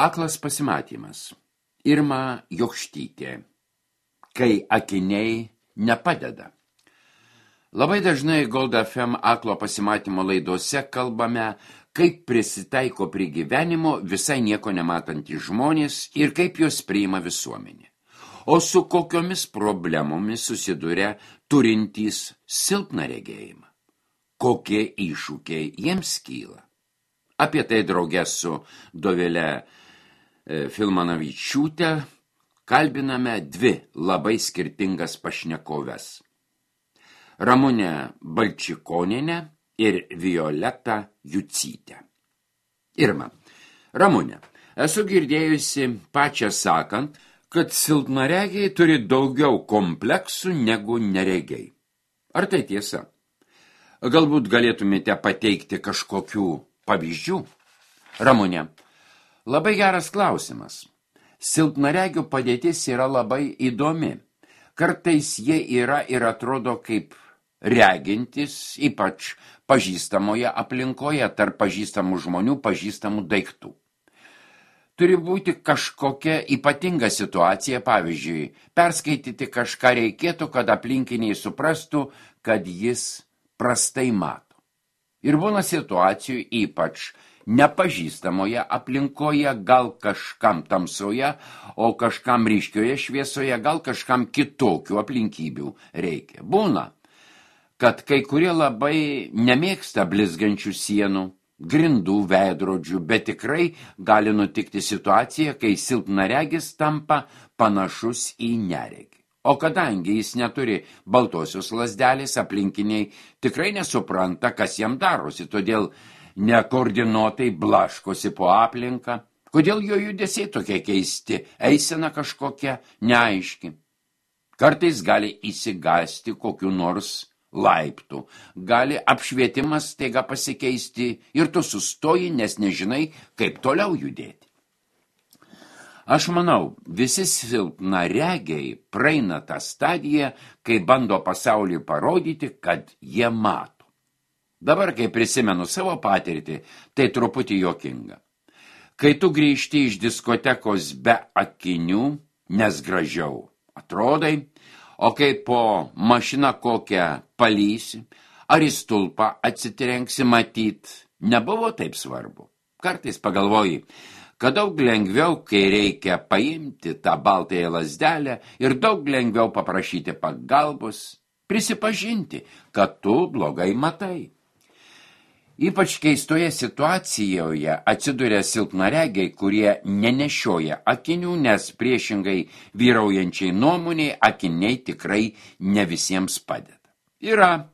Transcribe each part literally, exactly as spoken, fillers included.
Aklas pasimatymas. Irma Jokštytė. Kai akiniai nepadeda. Labai dažnai Gold F M aklo pasimatymo laidose kalbame, kaip prisitaiko prie gyvenimo visai nieko nematantys žmonės ir kaip juos priima visuomenė. O su kokiomis problemomis susiduria turintys silpną regėjimą. Kokie iššūkiai jiems kyla. Apie tai drauge su Dovile Filmanavičiūtė kalbiname dvi labai skirtingas pašnekoves. Ramunę Balčikonienę ir Violetą Jucytę. Irma, Ramunė, esu girdėjusi pačią sakant, kad silpnaregiai turi daugiau kompleksų negu neregiai. Ar tai tiesa? Galbūt galėtumėte pateikti kažkokių pavyzdžių? Ramunė, labai geras klausimas. Silpnaregių padėtis yra labai įdomi. Kartais jie yra ir atrodo kaip regintis, ypač pažįstamoje aplinkoje, tarp pažįstamų žmonių, pažįstamų daiktų. Turi būti kažkokia ypatinga situacija, pavyzdžiui, perskaityti kažką reikėtų, kad aplinkiniai suprastų, kad jis prastai mato. Ir būna situacijų ypač nepažįstamoje aplinkoje, gal kažkam tamsoje, o kažkam ryškioje šviesoje, gal kažkam kitokių aplinkybių reikia. Būna, kad kai kurie labai nemėgsta blizgančių sienų, grindų, veidrodžių, bet tikrai gali nutikti situacija, kai silpnaregis tampa panašus į neregį. O kadangi jis neturi baltosios lazdelės, aplinkiniai tikrai nesupranta, kas jam darosi, todėl nekoordinuotai blaškosi po aplinką. Kodėl jo judesiai tokie keisti, eisena kažkokia neaiški. Kartais gali įsigasti kokiu nors laiptų, gali apšvietimas staiga pasikeisti ir tu sustoji, nes nežinai, kaip toliau judėti. Aš manau, visi silpnaregiai praeina tą stadiją, kai bando pasauliui parodyti, kad jie mato. Dabar, kai prisimenu savo patirtį, tai truputį juokinga. Kai tu grįžti iš diskotekos be akinių, nes gražiau atrodai, o kai po mašiną kokią palysi, ar į stulpą atsitrenksi, matyt, nebuvo taip svarbu. Kartais pagalvoji, kad daug lengviau, kai reikia paimti tą baltąją lazdelę ir daug lengviau paprašyti pagalbos, prisipažinti, kad tu blogai matai. Ypač keistoje situacijoje atsiduria silpnaregiai, kurie nenešioja akinių, nes priešingai vyraujančiai nuomoniai akiniai tikrai ne visiems padeda. Yra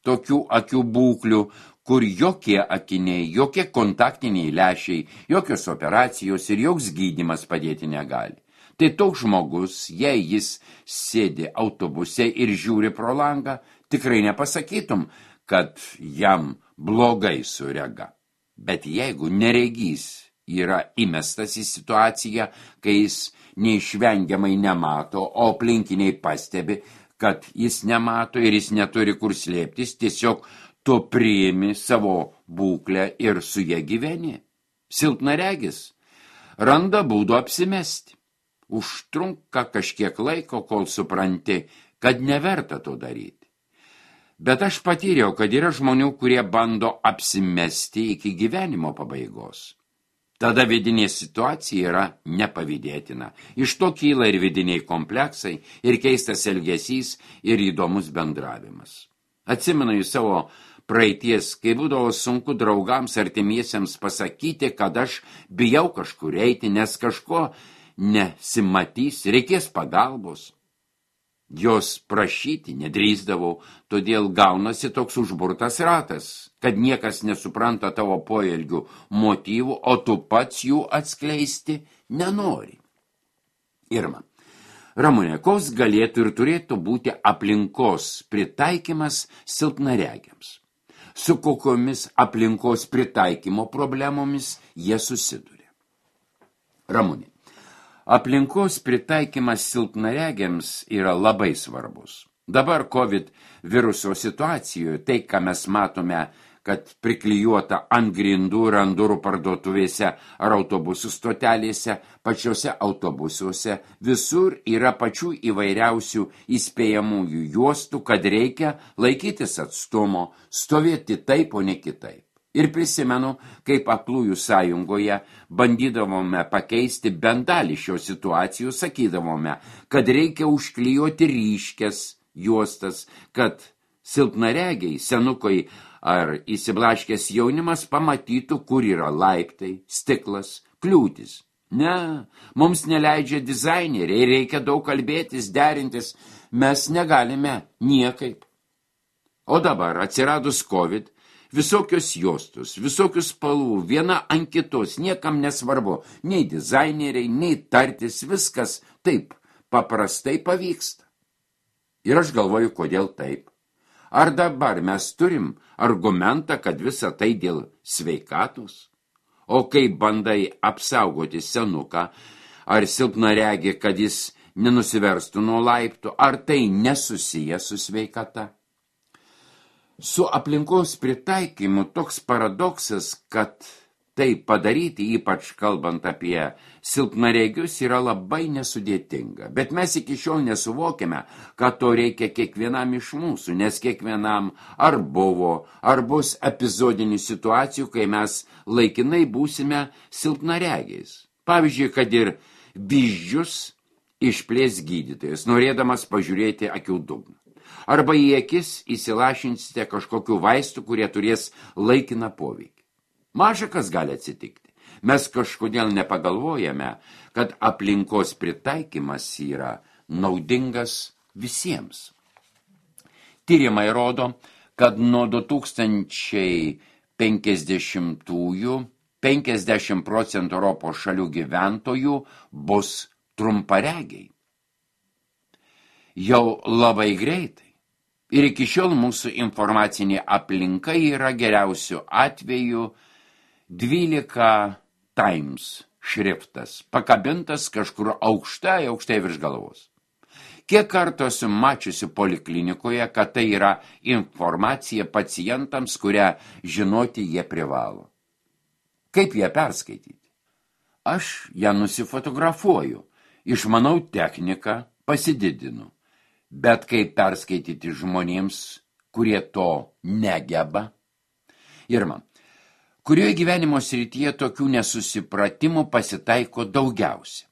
tokių akių būklių, kur jokie akiniai, jokie kontaktiniai lęšiai, jokios operacijos ir joks gydymas padėti negali. Tai toks žmogus, jei jis sėdi autobuse ir žiūri pro langą, tikrai nepasakytum, kad jam blogai su rega. Bet jeigu neregys yra įmestas į situaciją, kai jis neišvengiamai nemato, o aplinkiniai pastebi, kad jis nemato ir jis neturi kur slėptis, tiesiog tu priimi savo būklę ir su ja gyveni. Silpnaregis randa būdų apsimesti. Užtrunka kažkiek laiko, kol supranti, kad neverta to daryti. Bet aš patyriau, kad yra žmonių, kurie bando apsimesti iki gyvenimo pabaigos. Tada vidinė situacija yra nepavydėtina. Iš to kyla ir vidiniai kompleksai, ir keistas elgesys, ir įdomus bendravimas. Atsimenu į savo praeities, kai būdavo sunku draugams artimiesiems pasakyti, kad aš bijau kažkur eiti, nes kažko nesimatys, reikės pagalbos. Jos prašyti nedrįsdavau, todėl gaunasi toks užburtas ratas, kad niekas nesupranta tavo poelgių motyvų, o tu pats jų atskleisti nenori. Irma, Ramunė, koks galėtų ir turėtų būti aplinkos pritaikymas silpnaregiams? Su kokiomis aplinkos pritaikymo problemomis jie susiduria? Ramunė. Aplinkos pritaikymas silpnaregiams yra labai svarbus. Dabar COVID viruso situacijoje tai, ką mes matome, kad priklijuota ant grindų ir ant durų parduotuvėse ar autobusų stotelėse, pačiose autobusuose, visur yra pačių įvairiausių įspėjamųjų juostų, kad reikia laikytis atstumo, stovėti taip, o ne kitaip. Ir prisimenu, kaip Aklųjų sąjungoje bandydavome pakeisti bent dalį šios situacijų, sakydavome, kad reikia užklijuoti ryškias juostas, kad silpnaregiai, senukai ar įsiblaškęs jaunimas pamatytų, kur yra laiptai, stiklas, kliūtis. Ne, mums neleidžia dizaineriai, reikia daug kalbėtis, derintis, mes negalime niekaip. O dabar atsiradus COVID, visokios juostos, visokius spalvų, viena ant kitos, niekam nesvarbu, nei dizaineriai, nei tartis, viskas taip paprastai pavyksta. Ir aš galvoju, kodėl taip. Ar dabar mes turim argumentą, kad visa tai dėl sveikatos? O kai bandai apsaugoti senuką ar silpnaregį, kad jis nenusiverstų nuo laiptų, ar tai nesusiję su sveikata? Su aplinkos pritaikymu toks paradoksas, kad tai padaryti, ypač kalbant apie silpnaregius, yra labai nesudėtinga. Bet mes iki šiol nesuvokiame, kad to reikia kiekvienam iš mūsų, nes kiekvienam ar buvo, ar bus epizodinių situacijų, kai mes laikinai būsime silpnaregiais. Pavyzdžiui, kad ir vyzdžius išplės gydytojas, norėdamas pažiūrėti akių dugną. Arba į akis įsilašinsite kažkokių vaistų, kurie turės laikiną poveikį. Maža kas gali atsitikti. Mes kažkodėl nepagalvojame, kad aplinkos pritaikymas yra naudingas visiems. Tyrimai rodo, kad nuo du tūkstančiai penkiasdešimtųjų penkiasdešimt procentų Europos šalių gyventojų bus trumparegiai. Jau labai greitai. Ir iki šiol mūsų informacinė aplinka yra geriausiu atveju dvylika Times šriftas, pakabintas kažkur aukštai, aukštai virš galvos. Kiek kartų esu mačiusi poliklinikoje, kad tai yra informacija pacientams, kurią žinoti jie privalo. Kaip ją perskaityti? Aš ją nusifotografuoju, išmanau techniką, pasididinu. Bet kaip perskaityti žmonėms, kurie to negeba? Irma, kurioje gyvenimo srityje tokių nesusipratimų pasitaiko daugiausia?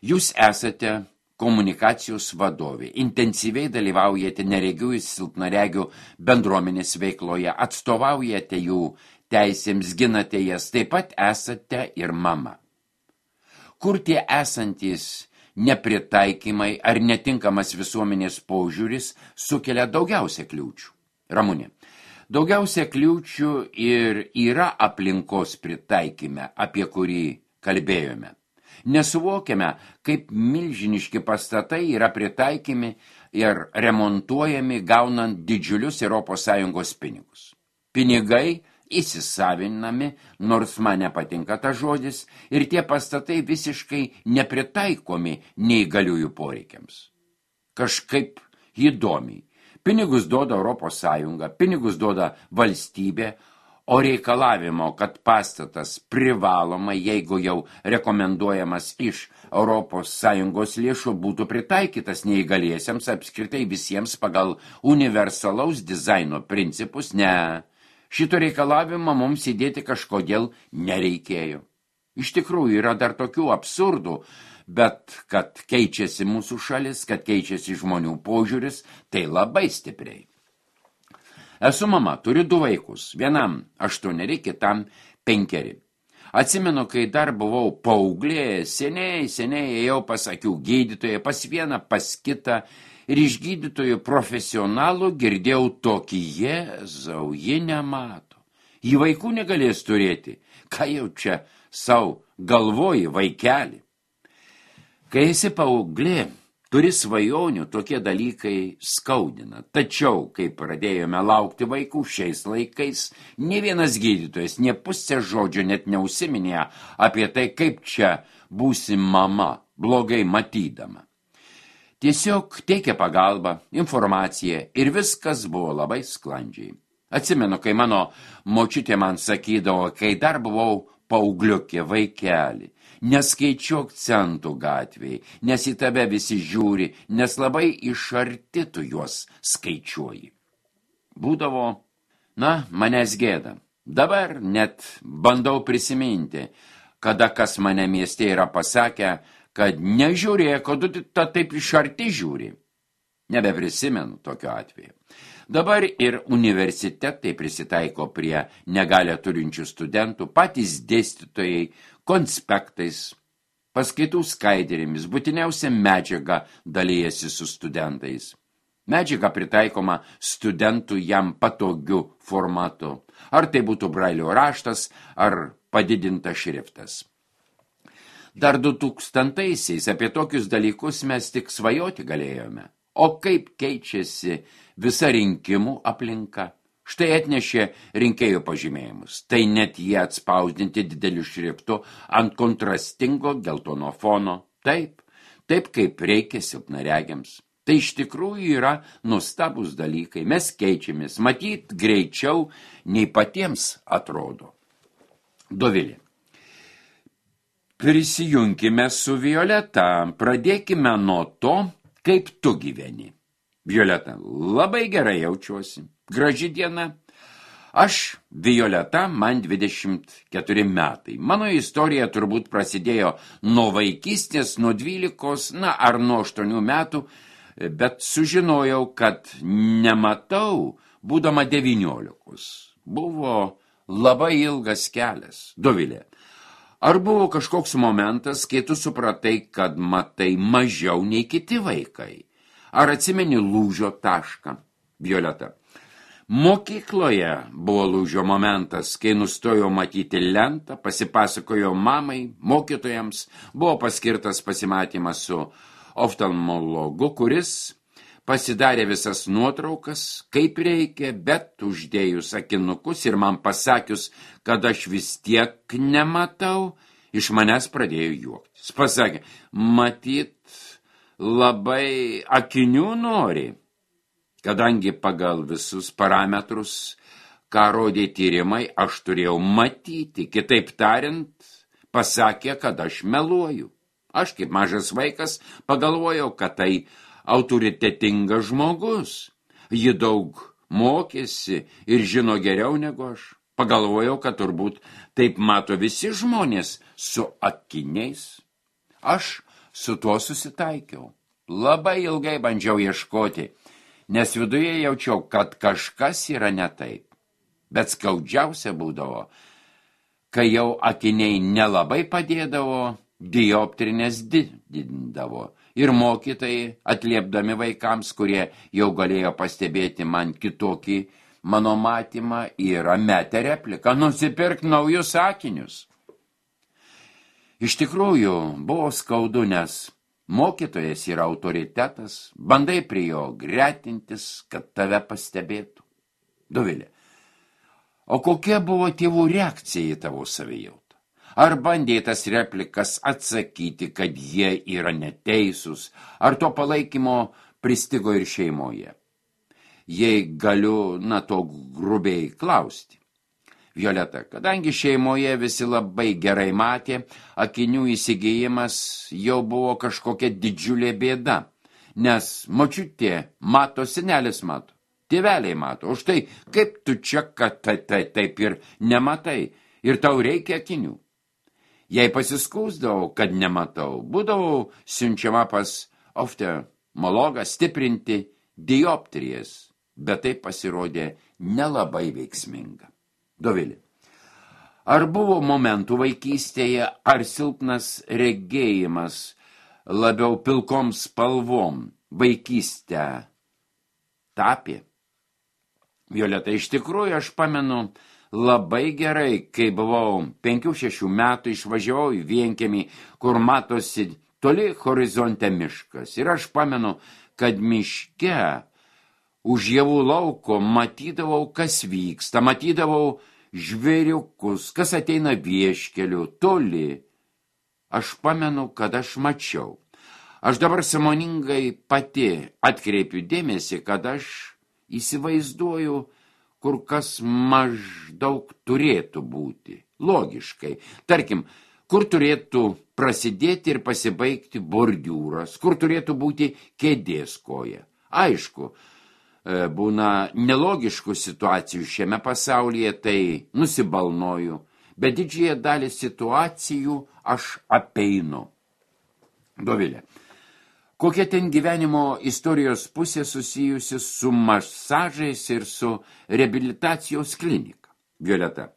Jūs esate komunikacijos vadovė, intensyviai dalyvaujate neregių ir silpnaregių bendruomenės veikloje, atstovaujate jų teisėms, ginate jas, taip pat esate ir mama. Kur tie esantys nepritaikymai ar netinkamas visuomenės požiūris sukelia daugiausia kliūčių? Ramunė, daugiausia kliūčių ir yra aplinkos pritaikyme, apie kurį kalbėjome. Nesuvokiame, kaip milžiniški pastatai yra pritaikymai ir remontuojami gaunant didžiulius Europos Sąjungos pinigus. Pinigai įsisavinami, nors man nepatinka tas žodis, ir tie pastatai visiškai nepritaikomi neįgaliųjų poreikiams. Kažkaip įdomiai. Pinigus duoda Europos Sąjunga, pinigus duoda valstybė, o reikalavimo, kad pastatas privaloma, jeigu jau rekomenduojamas iš Europos Sąjungos lėšų, būtų pritaikytas neįgaliesiems apskritai visiems pagal universalaus dizaino principus, ne. Šito reikalavimą mums įdėti kažkodėl nereikėjo. Iš tikrųjų yra dar tokių absurdų, bet kad keičiasi mūsų šalis, kad keičiasi žmonių požiūris, tai labai stipriai. Esu mama, turiu du vaikus, vienam aštuoneri, kitam penkeri. Atsimenu, kai dar buvau paauglė, seniai, seniai ėjau pas akių gydytoją, pas vieną, pas kitą, ir iš gydytojų profesionalų girdėjau tokį: Jėzau, ji nemato, ji vaikų negalės turėti, ką jau čia sau galvoji, vaikeli. Kai esi paauglė, turi svajonių, tokie dalykai skaudina. Tačiau, kai pradėjome laukti vaikų šiais laikais, ne vienas gydytojas, ne pusė žodžio net neusiminė apie tai, kaip čia būsi mama, blogai matydama. Tiesiog teikia pagalbą, informaciją ir viskas buvo labai sklandžiai. Atsimenu, kai mano močiutė man sakydavo, kai dar buvau paaugliukė, vaikelį, neskaičiuok centų gatvėje, nes į tave visi žiūri, nes labai iš arti tu juos skaičiuoji. Būdavo, na, manęs gėda. Dabar net bandau prisiminti, kada kas mane mieste yra pasakę, kad nežiūrėk, kad tu taip iš arti žiūri. Nebeprisimenu tokio atveju. Dabar ir universitetai prisitaiko prie negalią turinčių studentų, patys dėstytojai, konspektais, paskaitų skaidrėmis, būtiniausia medžiaga dalyjasi su studentais. Medžiaga pritaikoma studentų jam patogiu formatu. Ar tai būtų brailio raštas, ar padidintas šriftas. Dar du tūkstantaisiais apie tokius dalykus mes tik svajoti galėjome. O kaip keičiasi visa rinkimų aplinka. Štai atnešė rinkėjų pažymėjimus. Tai net jie atspausdinti dideliu šriftu ant kontrastingo geltono fono. Taip, taip kaip reikia silpnaregiams. Tai iš tikrųjų yra nuostabūs dalykai. Mes keičiamės, matyt, greičiau nei patiems atrodo. Dovilė. Prisijunkime su Violeta. Pradėkime nuo to, kaip tu gyveni. Violeta, labai gerai jaučiuosi. Graži diena. Aš, Violeta, man dvidešimt keturi metai. Mano istorija turbūt prasidėjo nuo vaikystės, nuo dvylikos, na, ar nuo aštuonių metų, bet sužinojau, kad nematau, būdama devyniolikos. Buvo labai ilgas kelias. Dovilė, ar buvo kažkoks momentas, kai tu supratai, kad matai mažiau nei kiti vaikai? Ar atsimeni lūžio tašką? Violeta. Mokykloje buvo lūžio momentas, kai nustojo matyti lentą, pasipasakojo mamai, mokytojams, buvo paskirtas pasimatymas su oftalmologu, kuris pasidarė visas nuotraukas, kaip reikia, bet uždėjus akinukus ir man pasakius, kad aš vis tiek nematau, iš manęs pradėjo juoktis. Pasakė, matyt, labai akinių nori, kadangi pagal visus parametrus, ką rodė tyrimai, aš turėjau matyti. Kitaip tariant, pasakė, kad aš meluoju. Aš kaip mažas vaikas pagalvojau, kad tai autoritetingas žmogus. Ji daug mokėsi ir žino geriau negu aš. Pagalvojau, kad turbūt taip mato visi žmonės su akiniais. Aš su tuo susitaikiau. Labai ilgai bandžiau ieškoti, nes viduje jaučiau, kad kažkas yra ne taip. Bet skaudžiausia būdavo, kai jau akiniai nelabai padėdavo, dioptrinės didindavo. Ir mokytojai, atliepdami vaikams, kurie jau galėjo pastebėti man kitokį mano matymą, yra metę repliką, nusipirk naujus akinius. Iš tikrųjų, buvo skaudu, nes mokytojas yra autoritetas, bandai prie jo gretintis, kad tave pastebėtų. Dovilė, o kokia buvo tėvų reakcija į tavo savijautą? Ar bandė tas replikas atsakyti, kad jie yra neteisūs, ar to palaikymo pristigo ir šeimoje? Jei galiu, na, to grubiai klausti. Violeta, kadangi šeimoje visi labai gerai matė, akinių įsigijimas jau buvo kažkokia didžiulė bėda, nes močiutė mato, senelis mato, tėveliai mato, už tai kaip tu čia, kad tai, tai, taip ir nematai, ir tau reikia akinių. Jei pasiskūsdavau, kad nematau, būdavau siunčiama pas oftalmologą stiprinti dioptrijas, bet tai pasirodė nelabai veiksminga. Dovilė, ar buvo momentų vaikystėje, ar silpnas regėjimas labiau pilkom spalvom vaikystę tapė? Violeta, iš tikrųjų aš pamenu labai gerai, kai buvau penkių šešių metų, išvažiavau į vienkiemį, kur matosi toli horizonte miškas. Ir aš pamenu, kad miške už javų lauko matydavau, kas vyksta, matydavau žvėriukus, kas ateina vieškeliu, toli. Aš pamenu, kad aš mačiau. Aš dabar sąmoningai pati atkreipiu dėmesį, kad aš įsivaizduoju, kur kas maždaug turėtų būti, logiškai. Tarkim, kur turėtų prasidėti ir pasibaigti bordiūras, kur turėtų būti kėdės koja. Aišku, būna nelogiškų situacijų šiame pasaulyje, tai nusibalnoju, bet didžiąją dalį situacijų aš apeinu. Dovilė, kokia ten gyvenimo istorijos pusė susijusi su masažais ir su reabilitacijos klinika? Violeta,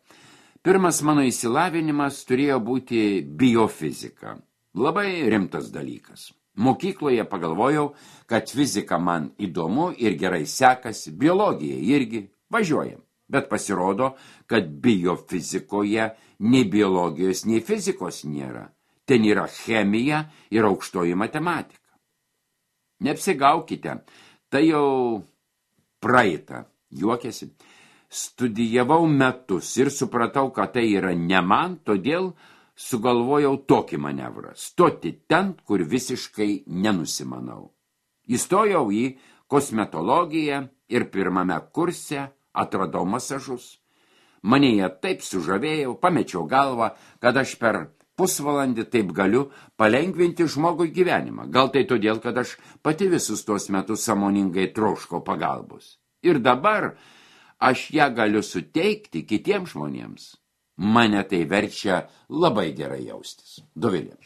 pirmas mano išsilavinimas turėjo būti biofizika. Labai rimtas dalykas. Mokykloje pagalvojau, kad fizika man įdomu ir gerai sekasi, biologija irgi, važiuojam. Bet pasirodo, kad biofizikoje nei biologijos, nei fizikos nėra. Ten yra chemija ir aukštoji matematika. Neapsigaukite, tai jau praeita, juokėsi. Studijavau metus ir supratau, kad tai yra ne man, todėl sugalvojau tokį manevrą – stoti ten, kur visiškai nenusimanau. Įstojau į kosmetologiją ir pirmame kurse atradau masažus. Mane jie taip sužavėjau, pamečiau galvą, kad aš per pusvalandį taip galiu palengvinti žmogui gyvenimą. Gal tai todėl, kad aš pati visus tos metus sąmoningai troškau pagalbos. Ir dabar aš ją galiu suteikti kitiems žmonėms. Mane tai verčia labai gerai jaustis. Dovilė,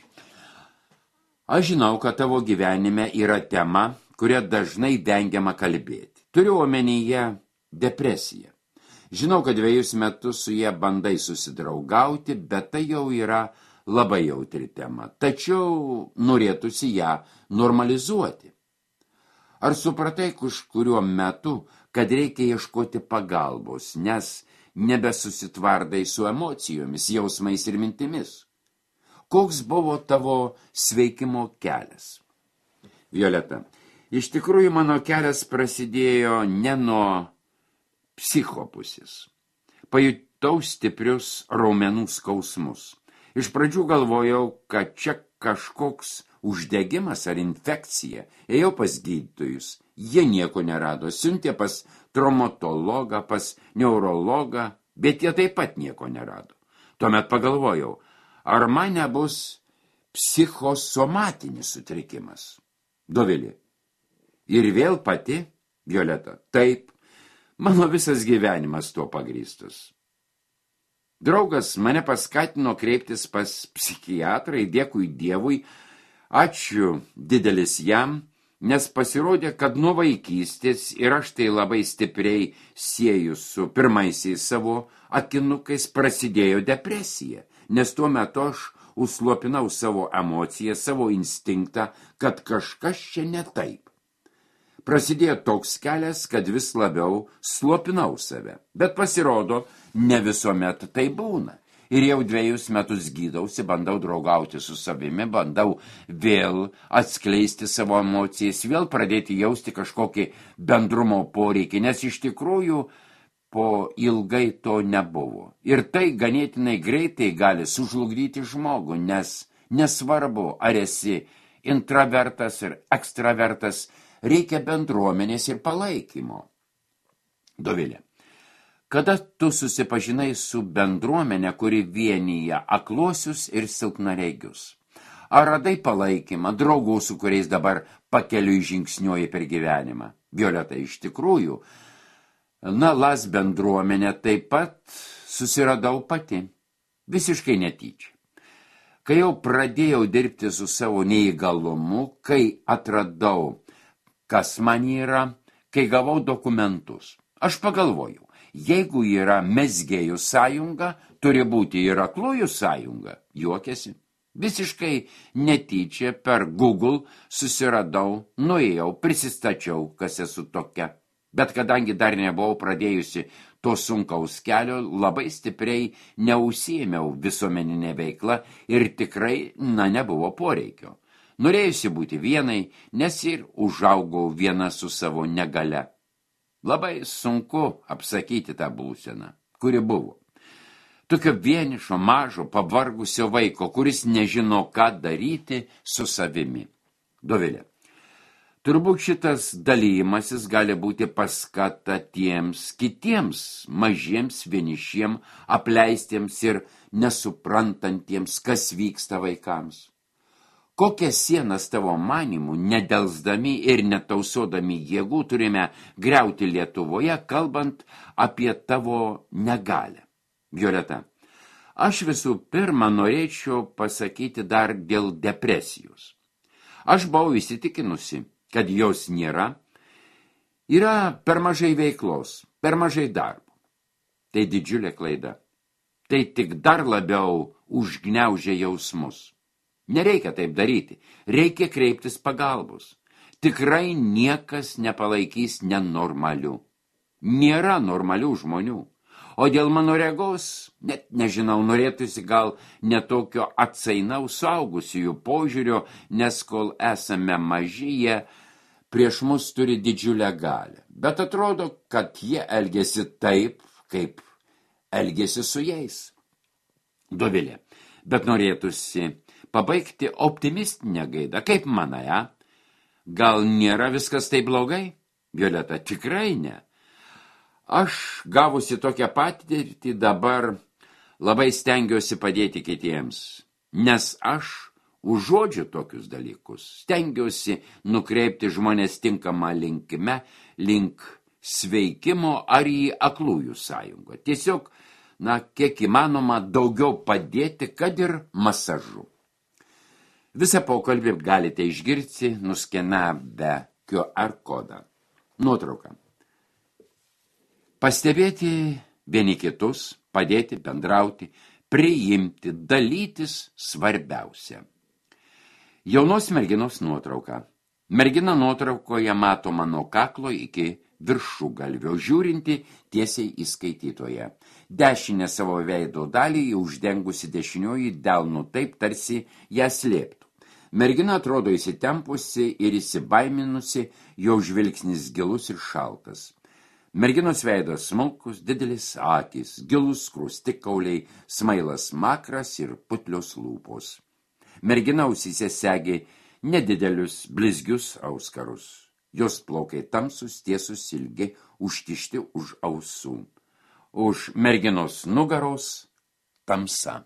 aš žinau, kad tavo gyvenime yra tema, kuria dažnai vengiama kalbėti. Turiu omenyje depresiją. Žinau, kad dviejus metus su jie bandai susidraugauti, bet tai jau yra labai jautri tema. Tačiau norėtųsi ją normalizuoti. Ar supratai kažkuriuo metu, kad reikia ieškoti pagalbos, nes nebesusitvardai su emocijomis, jausmais ir mintimis? Koks buvo tavo sveikimo kelias? Violeta, iš tikrųjų mano kelias prasidėjo ne nuo psichopusės. Pajutau stiprius raumenų skausmus. Iš pradžių galvojau, kad čia kažkoks uždegimas ar infekcija. Ėjau pas gydytojus. Jie nieko nerado. Siuntė pas traumatologą, pas neurologą, bet jie taip pat nieko nerado. Tuomet pagalvojau, ar man nebus psichosomatinis sutrikimas? Dovilė. Ir vėl pati, Violeta, taip, mano visas gyvenimas tuo pagrįstas. Draugas mane paskatino kreiptis pas psichiatrą, dėkui Dievui, ačiū didelis jam, nes pasirodė, kad nuo vaikystės ir aš tai labai stipriai sieju su pirmaisiais savo akinukais prasidėjo depresija, nes tuo metu aš užslopinau savo emociją, savo instinktą, kad kažkas čia ne taip. Prasidėjo toks kelias, kad vis labiau slopinau save. Bet pasirodo, ne visuomet tai būna. Ir jau dviejus metus gydausi, bandau draugauti su savimi, bandau vėl atskleisti savo emocijas, vėl pradėti jausti kažkokį bendrumo poreikį, nes iš tikrųjų po ilgai to nebuvo. Ir tai ganėtinai greitai gali sužlugdyti žmogų, nes nesvarbu, ar esi intravertas ir ekstravertas, reikia bendruomenės ir palaikymo. Dovilė, kada tu susipažinai su bendruomenė, kuri vienyje akluosius ir silpnaregius? Ar radai palaikymą, draugų, su kuriais dabar pakeliui žingsniuoji per gyvenimą? Violeta, iš tikrųjų, na, las bendruomenė taip pat susiradau pati, visiškai netyčia. Kai jau pradėjau dirbti su savo neįgalumu, kai atradau, kas man yra, kai gavau dokumentus. Aš pagalvojau, jeigu yra mezgėjų sąjunga, turi būti ir aklųjų sąjunga. Juokėsi. Visiškai netyčia per Google susiradau, nuėjau, prisistačiau, kas esu tokia. Bet kadangi dar nebuvau pradėjusi to sunkaus kelio, labai stipriai neužsiėmiau visuomeninę veiklą ir tikrai, na, nebuvo poreikio. Norėjusi būti vienai, nes ir užaugau viena su savo negale. Labai sunku apsakyti tą būseną, kuri buvo. Tokio vienišo, mažo, pavargusio vaiko, kuris nežino, ką daryti su savimi. Dovilė, Turbūt šitas dalymasis gali būti paskata tiems kitiems, mažiems, vienišiem, apleistiems ir nesuprantantiems, kas vyksta vaikams. Kokias sienas tavo manimų, nedelsdami ir netausodami jėgų turime griauti Lietuvoje, kalbant apie tavo negalę? Violeta, aš visų pirma norėčiau pasakyti dar dėl depresijos. Aš buvau įsitikinusi, kad jos nėra, yra per mažai veiklos, per mažai darbo. Tai didžiulė klaida. Tai tik dar labiau užgniaužia jausmus. Nereikia taip daryti, reikia kreiptis pagalbos. Tikrai niekas nepalaikys nenormalių. Nėra normalių žmonių. O dėl mano regos, net nežinau, norėtųsi gal netokio atsainaus suaugusiųjų požiūrio, nes kol esame maži, jie prieš mus turi didžiulę galią. Bet atrodo, kad jie elgiasi taip, kaip elgiasi su jais. Dovilė, bet norėtųsi pabaigti optimistinę gaidą. Kaip manai, a? Gal nėra viskas taip blogai? Violeta, tikrai ne. Aš, gavusi tokią patirtį, dabar labai stengiuosi padėti kitiems, nes aš užuodžiu tokius dalykus. Stengiuosi nukreipti žmonės tinkamą linkme, link sveikimo ar į aklųjų sąjungą. Tiesiog, na, kiek įmanoma daugiau padėti, kad ir masažu. Visą pokalbį galite išgirsti nuskenavę Q R kodą. Nuotrauka. Pastebėti vieni kitus, padėti, bendrauti, priimti, dalytis svarbiausia. Jaunos merginos nuotrauka. Mergina nuotraukoje matoma nuo kaklo iki viršugalvio, žiūrinti tiesiai į skaitytoją. Dešinę savo veido dalį uždengusi dešinioji delnu taip, tarsi ją slėptų. Mergina atrodo įsitempusi ir įsibaiminusi, jo žvilgsnis gilus ir šaltas. Merginos veidas smulkus, didelis akys, gilus skruostikauliai, smailas makras ir putlios lūpos. Mergina ausyse segė nedidelius blizgius auskarus. Jos plaukai tamsus, tiesus, ilgi, užkišti už ausų. Už merginos nugaros tamsa.